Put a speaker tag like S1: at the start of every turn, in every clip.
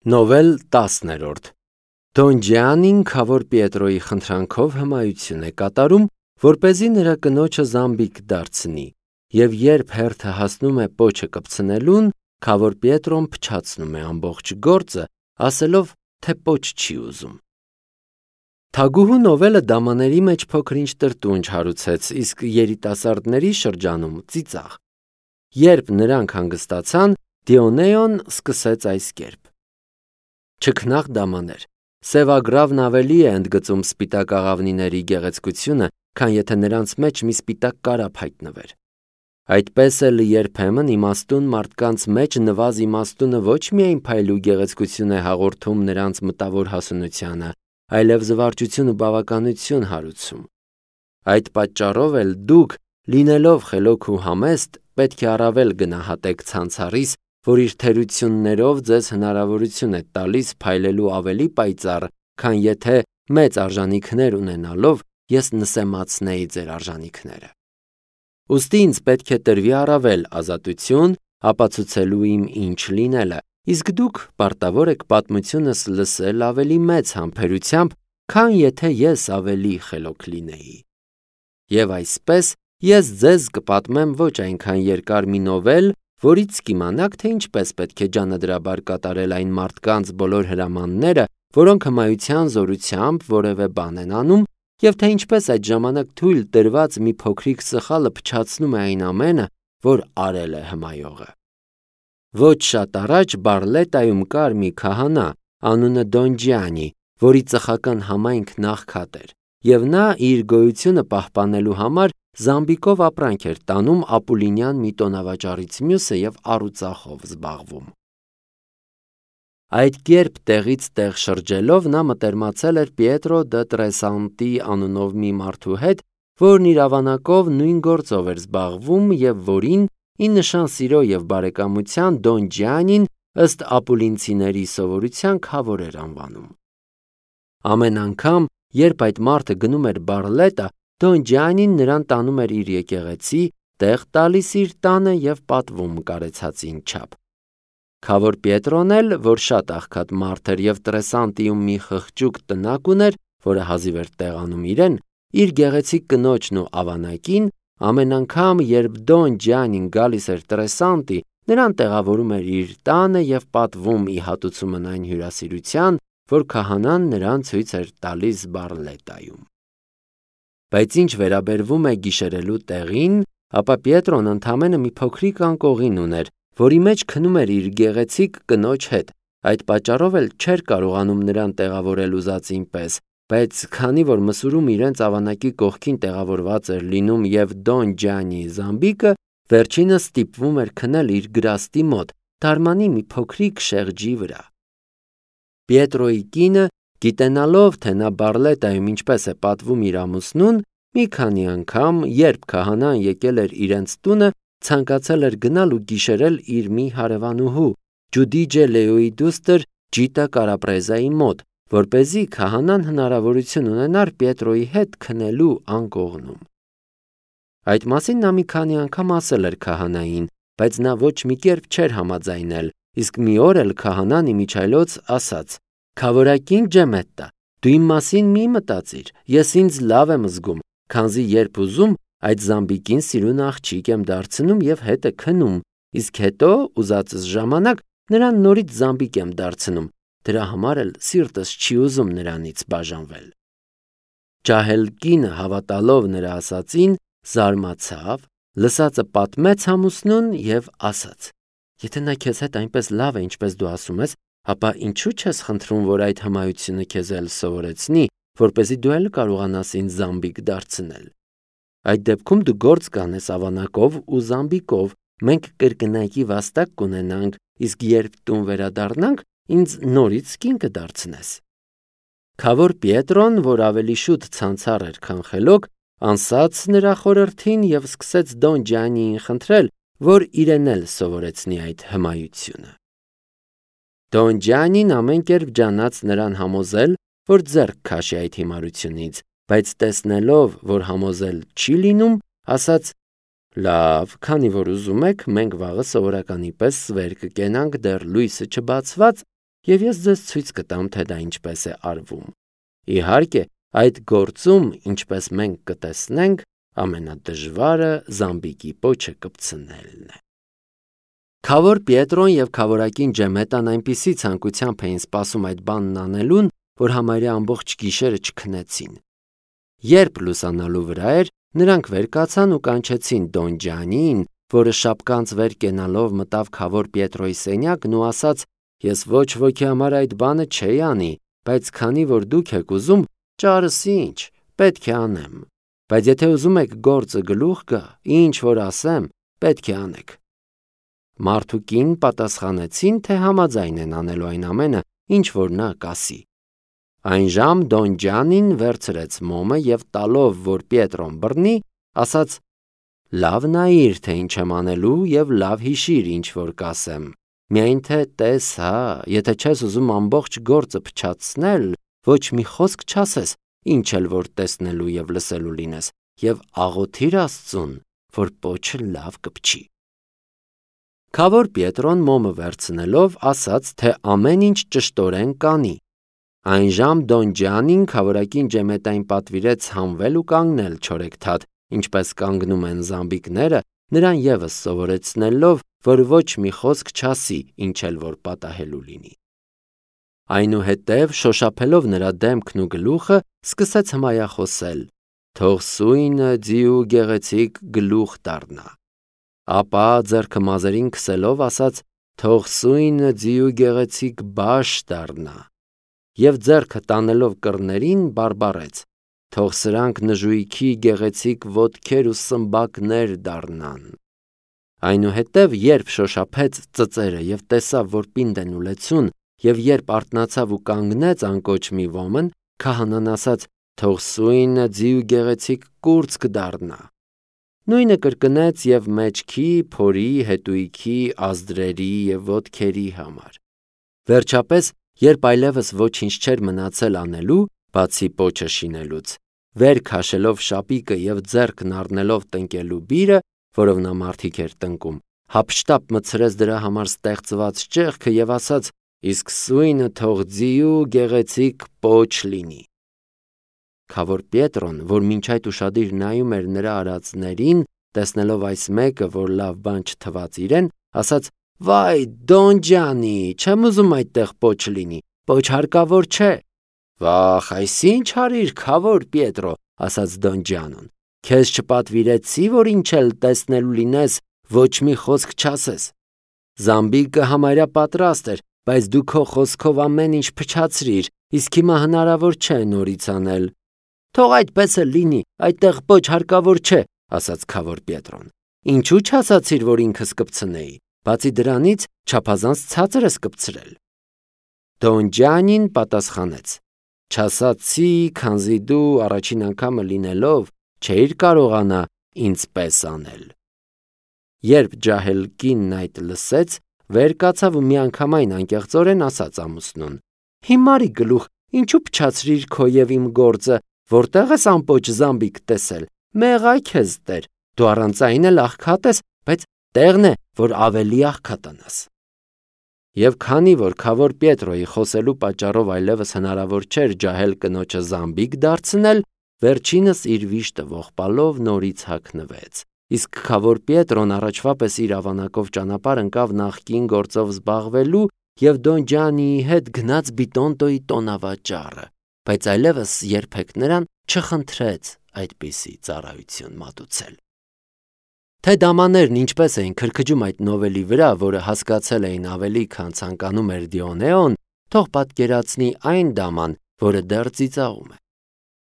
S1: Նովել 10-րդ Դոն Ջիանին քավոր Պիետրոյի խնդրանքով հմայություն է կատարում, որպեսզի նրա կնոջը զամբիկ դարձնի, և երբ հերթը հասնում է պոչը կպցնելուն, քավոր Պիետրոն փչացնում է ամբողջ գործը, ասելով, թե պոչ չի ուզում։ Թագուհու Նովելը դամաների մեջ փոքր-ինչ տրտունջ հարուցեց, իսկ երիտասարդների շրջանում ծիծաղ։ Երբ նրանք հանգստացան, Դիոնեոն սկսեց այս կերպ. Չքնաղ դամաներ, սևագրավն ավելի է ընդգծում սպիտակ աղավնիների գեղեցկությունը, քան եթե նրանց մեջ մի սպիտակ կարապ հայտնվեր։ Այդպես էլ երբեմն իմաստուն մարդկանց մեջ նվազ իմաստունը ոչ միայն փայլու գեղեցկություն է հաղորդում նրանց մտավոր հասունությանը, այլև զվարճություն ու բավականություն հարուցում։ Այդ պատճառով էլ դուք, լինելով խելոք ու համեստ, պետք է առավել գնահատեք ցանցառիս, որ իր թերություններով ձեզ հնարավորություն է տալիս փայլելու ավելի պայծառ, քան եթե մեծ արժանիքներ ունենալով ես նսեմացնեի ձեր արժանիքները։ Ուստի ինձ պետք է տրվի առավել ազատություն, ապացուցելու իմ ինչ լինելը, իսկ դուք պարտավոր եք պատմությունս լսել ավելի մեծ համբերությամբ, քան եթե ես ավելի խելոք լինեի։ Եվ այսպես ես ձեզ կպատմեմ ոչ այնքան երկար մի նովել, որից կիմանաք, թե ինչպես պետք է ջանադրաբար կատարել այն մարդկանց բոլոր հրամանները, որոնք հմայության զորությամբ որևէ բան են անում, և թե ինչպես այդ ժամանակ թույլ տրված մի փոքրիկ սխալը փչացնում է այն ամենը, որ արել է հմայողը։ Ոչ շատ առաջ Բարլետայում կար մի քահանա, անունը Դոն Ջիանի, որի ծխական համայնքն աղքատ էր, և նա իր գոյությունը պահպանելու համար զամբիկով ապրանք էր տանում ապուլինյան մի տոնավաճառից մյուսը և առուծախով զբաղվում։ Այդ կերպ տեղից տեղ շրջելով նա մտերմացել էր Պիետրո դը Տրեսանտի անունով մի մարդու հետ, որն իր ավանակով նույն գործով էր զբաղվում և որին, ի նշան սիրո և բարեկամության, Դոն Ջիանին ըստ ապուլինցիների սովորության քավոր էր անվանում։ Ամեն անգամ, երբ այդ մարդը գնում էր Բարլետա, Դոն Ջիանին նրան տանում էր իր եկեղեցի, տեղ տալիս իր տանը և պատվում կարեցածին չափ։ Քավոր Պիետրոն էլ, որ շատ աղքատ մարդ էր և Տրեսանտիում մի խղճուկ տնակ ուներ, որը հազիվ էր տեղանում իրեն, իր գեղեցիկ կնոջն ու ավանակին, ամեն անգամ, երբ Դոն Ջիանին գալիս էր Տրեսանտի, նրան տեղավորում էր իր տանը և պատվում ի հատուցումն այն հյուրասիրության, որ քահանան նրան ցույց էր տալիս Բարլետայում։ Բայց ինչ վերաբերվում է գիշերելու տեղին, ապա Պիետրոն ընդամենը մի փոքրիկ անկողին ուներ, որի մեջ քնում էր իր գեղեցիկ կնոջ հետ, այդ պատճառով էլ չէր կարողանում նրան տեղավորել ուզածին պես, բայց քանի որ մսուրում իրենց ավանակի կողքին տեղավորված էր լինում և Դոն Ջիանի զամբիկը, վերջինս ստիպվում էր քնել իր գրաստի մոտ, դարմանի մի փոքրիկ շեղջի վրա։ Պիետրոյի կինը, գիտենալով, թե նա Բարլետայում ինչպես է պատվում իր ամուսնուն, մի քանի անգամ, երբ քահանան եկել էր իրենց տունը, ցանկացել էր գնալ ու գիշերել իր մի հարևանուհու, Ջուդիջե Լեոյի դուստր Ջիտա Կարապրեզայի մոտ, որպեսզի քահանան հնարավորություն ունենար Պիետրոյի հետ քնելու անկողնում։ Այդ մասին նա մի քանի անգամ ասել էր քահանային, բայց նա ոչ մի կերպ չէր համաձայնել, իսկ մի օր էլ քահանան իմիջիայլոց ասաց. «Քավորակին Ջեմետտա, դու իմ մասին մի մտածիր, ես ինձ լավ եմ զգում, քանզի երբ ուզում, այդ զամբիկին սիրուն աղջիկ եմ դարձնում և հետը քնում, իսկ հետո ուզածս ժամանակ նրան նորից զամբիկ եմ դարձնում, դրա համար էլ սիրտս չի ուզում նրանից բաժանվել»։ Ջահել կինը, հավատալով նրա ասածին, զարմացավ, լսածը պատմեց ամուսնուն և ասաց. «Եթե նա քեզ հետ այնպես լավ է, ինչպես դու ասում ես, ապա ինչու չես խնդրում, որ այդ հմայությունը քեզ էլ սովորեցնի, որպեսզի դու էլ կարողանաս ինձ զամբիկ դարձնել։ Այդ դեպքում դու գործ կանես ավանակով ու զամբիկով, մենք կրկնակի վաստակ կունենանք, իսկ երբ տուն վերադառնանք, ինձ նորից կին կդարձնես»։ Քավոր Պիետրոն, որ ավելի շուտ ցանցառ էր, քան խելոք, անսաց նրա խորհրդին և սկսեց Դոն Ջիանիին խնդրել, որ իրեն էլ սովորեցնի այդ հմայությունը։ Դոն Ջիանին ամեն կերպ ջանաց նրան համոզել, որ ձեռք քաշի այդ հիմարությունից, բայց տեսնելով, որ համոզել չի լինում, ասաց. «Լավ, քանի որ ուզում եք, մենք վաղը սովորականի պես վեր կկենանք դեռ լույսը չբացված, եւ ես ձեզ ցույց կտամ, թե դա ինչպես է արվում։ Իհարկե, այդ գործում, ինչպես մենք կտեսնենք, ամենադժվարը զամբիկի պոչը կպցնելն է։ Քավոր Պիետրոն եւ քավորակին Ջեմետան այնպիսի ցանկությամբ էին սպասում այդ բանն անելուն, որ համարյա ամբողջ գիշերը չքնեցին։ Երբ լուսանալու վրա էր, նրանք վեր կացան ու կանչեցին Դոն Ջանին, որը շապկանց վեր կենալով մտավ քավոր Պիետրոյի սենյակն ու ասաց. «Ես ոչ ոքի համար այդ բանը չէի անի, բայց քանի որ դուք եք ուզում, ճարս ինչ, պետք է անեմ։ Բայց եթե ուզում եք գործը գլուխ գա, ինչ որ ասեմ, պետք է անեք»։ Մարդուկին պատասխանեցին, թե համաձայն են անելու այն ամենը, ինչ որ նա կասի։ Այն ժամ Դոն Ջանին վերցրեց մոմը եւ տալով, որ Պիետրոն բռնի, ասաց. «Լավ նայիր, թե ինչ եմ անելու եւ լավ հիշիր, ինչ որ կասեմ։ Միայն թե տես հա, եթե չես ուզում ամբողջ գործը փչացնել, ոչ մի խոսք չասես, ինչ էլ որ տեսնելու եւ լսելու լինես, եւ աղոթիր Աստծուն, որ պոչը լավ կփչի»։ Քավոր Պիետրոն մոմը վերցնելով ասաց, թե ամեն ինչ ճշտորեն կանի։ Այն ժամ Դոն Ջանին քավորակին Ջեմետային պատվիրեց հանվել ու կանգնել չորեքթաթ, ինչպես կանգնում են զամբիկները, նրան ևս սովորեցնելով, որ ոչ մի խոսք չասի, ինչ էլ որ պատահելու լինի։ Այնուհետև, շոշափելով նրա դեմքն ու գլուխը, սկսեց հմայախոսել. «Թող սույնը ձի ու գեղեցիկ գլուխ դառնա»։ Ապա ձեռքը մազերին քսելով ասաց. «Թող սույնը ձի ու գեղեցիկ բաշ դառնա»։ Եվ ձեռքը տանելով կռներին բարբառեց. «Թող սրանք նժույքի գեղեցիկ ոտքեր ու սմբակներ դառնան»։ Այնուհետև, երբ շոշափեց ծծերը եւ տեսավ, որ պինդ են ու լեցուն, եւ երբ արթնացավ ու կանգնեց անկոչ մի ոմն, քահանան ասաց. «Թող սույնը ձի ու գեղեցիկ կուրծք դառնա»։ Նույնը կրկնեց եւ մեջքի, փորի, հետույքի, ազդրերի եւ ոտքերի համար։ Վերջապես, երբ այլևս ոչինչ չէր մնացել անելու, բացի պոչը շինելուց, վեր քաշելով շապիկը եւ ձեռքն առնելով տնկելու բիրը, որով նա մարդիկ էր տնկում, հափշտապ մտցրեց դրա համար ստեղծված ճեղքը եւ ասաց. «Իսկ սույնը թող ձի ու գեղեցիկ պոչ լինի»։ Քավոր Պիետրոն, որ մինչ այդ ուշադիր նայում էր նրա արածներին, տեսնելով այս մեկը, որ լավ բան չթվաց իրեն, ասաց. «Վայ, Դոն Ջանի, չեմ ուզում այդտեղ պոչ լինի, պոչ հարկավոր չէ»։ «Վախ, այսինչ արիր, քավոր Պիետրո», ասաց Դոն Ջանոն։ «Քեզ չպատվիրեցի, որ ինչ էլ տեսնելու լինես, ոչ մի խոսք չասես։ Զամբիկը համարյա պատրաստ էր, բայց դու քո խոսքով ամեն ինչ փչացրիր, իսկ հիմա հնարավոր չէ նորից անել»։ «Թող այդպես էլ լինի, այդտեղ պոչ հարկավոր չէ», ասաց քավոր Պիետրոն։ «Ինչու չասացիր, որ ինքս կպցնեի, բացի դրանից չափազանց ցածր ես կպցրել»։ Դոն Ջանին պատասխանեց. «Չասացի, քանզի դու առաջին անգամը լինելով չէիր կարողանա ինձ պես անել»։ Երբ ջահել կինն այդ լսեց, վեր կացավ ու միանգամայն անկեղծորեն ասաց ամուսնուն. «Հիմարի գլուխ, ինչու փչացրիր քո եւ իմ գործը, որտեղ ես ամպոչ զամբիկ տեսել, մեղա քեզ Տեր, դու առանց այն էլ աղքատ ես, բայց տեղն է, որ ավելի աղքատանաս»։ Եվ քանի որ քավոր Պիետրոյի խոսելու պատճառով այլևս հնարավոր չէր ջահել կնոջը զամբիկ դարձնել, վերջինս իր վիշտը ողբալով նորից հագնվեց։ Իսկ քավոր Պիետրոն առաջվա պես իր ավանակով ճանապարհ ընկավ նախկին գործով զբաղվելու եւ Դոն Ջանիի հետ գնաց Բիտոնտոյի տոնավաճառը, բայց այլևս երբեք նրան չխնդրեց այդպիսի ծառայություն մատուցել։ Թե դամաներն ինչպես էին քրքջում այդ նովելի վրա, որը հասկացել էին ավելի, քան ցանկանում էր Դիոնեոն, թող պատկերացնի այն դաման, որը դեռ ծիծաղում է։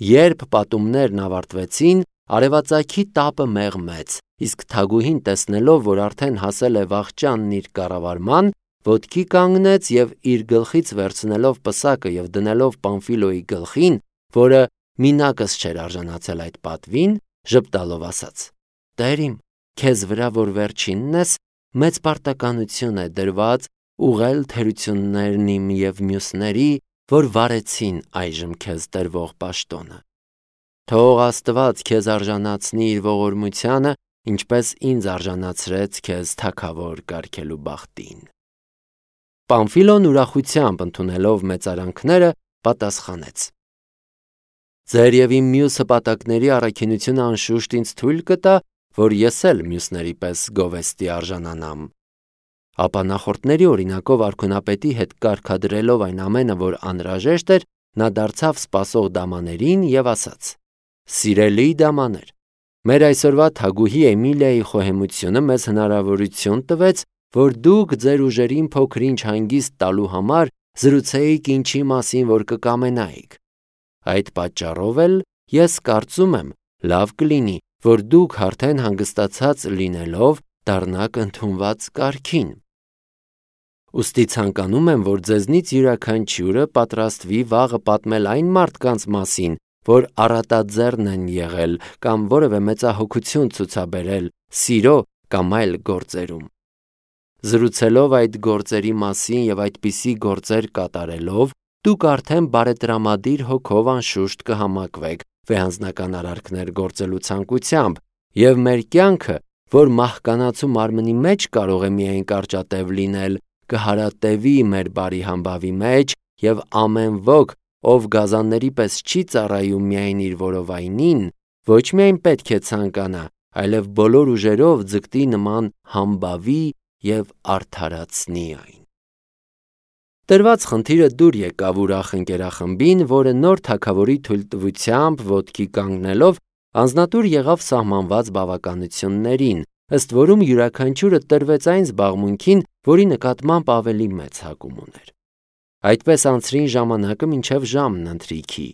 S1: Երբ պատումներն ավարտվեցին, արևածագի տապը մեղմեց, իսկ թագուհին տեսնելով, որ արդեն հասել է վախճանն իր կառավարման, ոտքի կանգնեց եւ իր գլխից վերցնելով պսակը եւ դնելով Պամֆիլոյի գլխին, որը մինակս չէր արժանացել այդ պատվին, ժպտալով ասաց. «Տեր իմ, քեզ վրա որ վերջինն ես, մեծ պարտականություն է դրված ուղղել թերություններն իմ եւ մյուսների, որ վարեցին այժմ քեզ տրվող պաշտոնը։ Թող Աստված քեզ արժանացնի իր ողորմությանը, ինչպես ինձ արժանացրեց քեզ թագավոր կարգելու բախտին»։ Պամֆիլոն ուրախությամբ ընդունելով մեծարանքները պատասխանեց. «Ձեր և իմ մյուս հպատակների առաքինությունը անշուշտ ինձ թույլ կտա, որ ես էլ մյուսների պես գովեստի արժանանամ»։ Ապա նախորդների օրինակով արքունապետի հետ կարգադրելով այն ամենը, որ անհրաժեշտ էր, նա դարձավ սպասող դամաներին և ասաց. «Սիրելի դամաներ, մեր այսօրվա թագուհի Էմիլիայի խոհեմությունը մեզ հնարավորություն տվեց, որ դուք ձեր ուժերին փոքր-ինչ հանգիստ տալու համար զրուցեիք ինչի մասին, որ կկամենայիք։ Այդ պատճառով էլ ես կարծում եմ, լավ կլինի, որ դուք արդեն հանգստացած լինելով դառնաք ընդունված կարգին։ Ուստի ցանկանում եմ, որ ձեզնից յուրաքանչյուրը պատրաստվի վաղը պատմել այն մարդկանց մասին, որ առատաձեռն են եղել կամ որևէ մեծահոգություն ցուցաբերել սիրո կամ այլ գործերում։ Զրուցելով այդ գործերի մասին և այդպիսի գործեր կատարելով, դուք արդեն բարետրամադիր հոգով անշուշտ կհամակվեք վեհանձնական արարքներ գործելու ցանկությամբ, և մեր կյանքը, որ մահկանացու մարմնի մեջ կարող է միայն կարճատև լինել, կհարատևի մեր բարի համբավի մեջ, և ամեն ոք, ով գազանների պես չի ծառայում միայն իր որովայնին, ոչ միայն պետք է ցանկանա, այլև բոլոր ուժերով ձգտի նման համբավի և արդարացնի այն։ Տրված խնդիրը դուր եկավ ուրախ ընկերախմբին, որը նոր թագավորի թույլտվությամբ ոտքի կանգնելով անձնատուր եղավ սահմանված բավականություններին, ըստ որում յուրաքանչյուրը տրվեց այն զբաղմունքին, որի նկատմամբ ավելի մեծ հակում ուներ։ Այդպես անցրին ժամանակը մինչև ժամն ընթրիքի։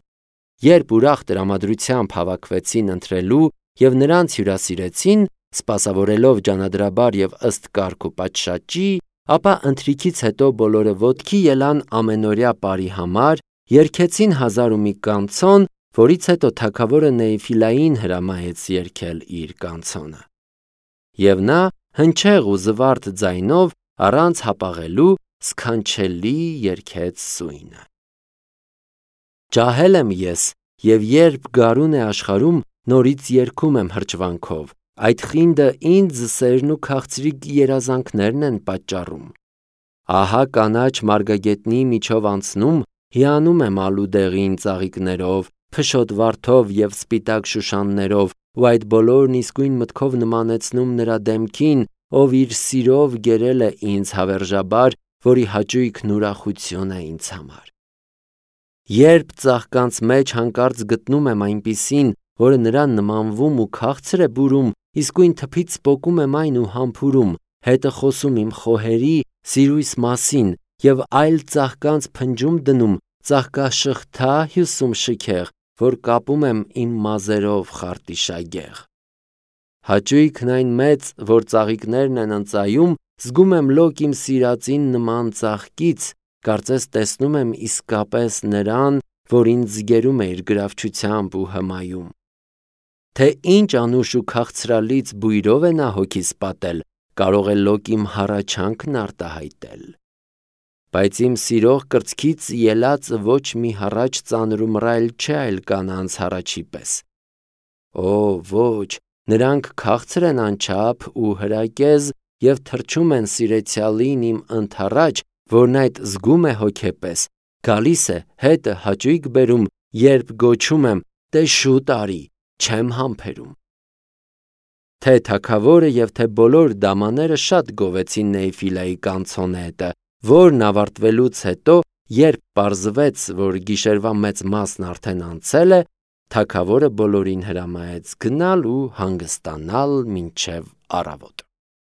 S1: Երբ ուրախ տրամադրությամբ հավաքվեցին ընթրելու և նրանց հյուրասիրեցին, սպասավորելով ջանադրաբար և ըստ կարգ ու պատշաճի, ապա ընթրիքից հետո բոլորը ոտքի ելան ամենօրյա պարի համար, երգեցին հազար ու մի կանցոն, որից հետո թագավորը Նեիֆիլային հրամայեց երգել իր կանցոնը։ Եվ նա հնչեղ ու զվարթ ձայնով առանց հապաղելու սքանչելի երգեց սույնը. Ջահել եմ ես, և երբ գարուն է աշխարհում, նորից երգում եմ հրճվանքով, այդ խինդը ինձ սերն ու քաղցրիկ երազանքներն են պատճառում։ Ահա կանաչ մարգագետնի միջով անցնում, հիանում եմ ալուդեղին ծաղիկներով, փշոտ վարդով և սպիտակ շուշաններով, ու այդ բոլորն իսկույն մտքով նմանեցնում նրա դեմքին, ով իր սիրով գերել է ինձ հավերժաբար, որի հաճույքն ուրախություն է ինձ համար։ Երբ ծաղկանց մեջ հանկարծ գտնում եմ այնպիսին, որը նրան նմանվում ու քաղցր է բուրում, իսկույն թփից պոկում եմ այն ու համբուրում, հետը խոսում իմ խոհերի, սիրույս մասին և այլ ծաղկանց փնջում դնում, ծաղկաշղթա հյուսում շքեղ, որ կապում եմ իմ մազերով խարտիշագեղ։ Հաճույքն այն մեծ, որ ծաղիկներն են ընծայում, զգում եմ լոկ իմ սիրածին նման ծաղկից, կարծես տեսնում եմ իսկապես նրան, որ ինձ զգերում է իր գրավչությամբ ու հմայում։ Թե ինչ անուշ ու քաղցրալից բույրով է նա հոգիս պատել, կարող է լոկ իմ հառաչանքն արտահայտել։ Բայց իմ սիրող կրծքից ելած ոչ մի հառաչ ծանր ու մռայլ չէ այլ կանանց հառաչի պես։ Օ, ոչ, նրանք քաղցր են անչափ ու հրակեզ և թռչում են սիրեցյալին իմ ընդառաջ, որն այդ զգում է հոգեպես, գալիս է, հետը հաճույք բերում, երբ գոչում եմ. «Դե շուտ արի, չեմ համբերում»։ Թե թագավորը և թե բոլոր դամաները շատ գովեցին Նեիֆիլայի կանցոնետը, որն ավարտվելուց հետո, երբ պարզվեց, որ գիշերվա մեծ մասն արդեն անցել է, թագավորը բոլորին հրամայեց գնալ ու հանգստանալ մինչև առավոտ։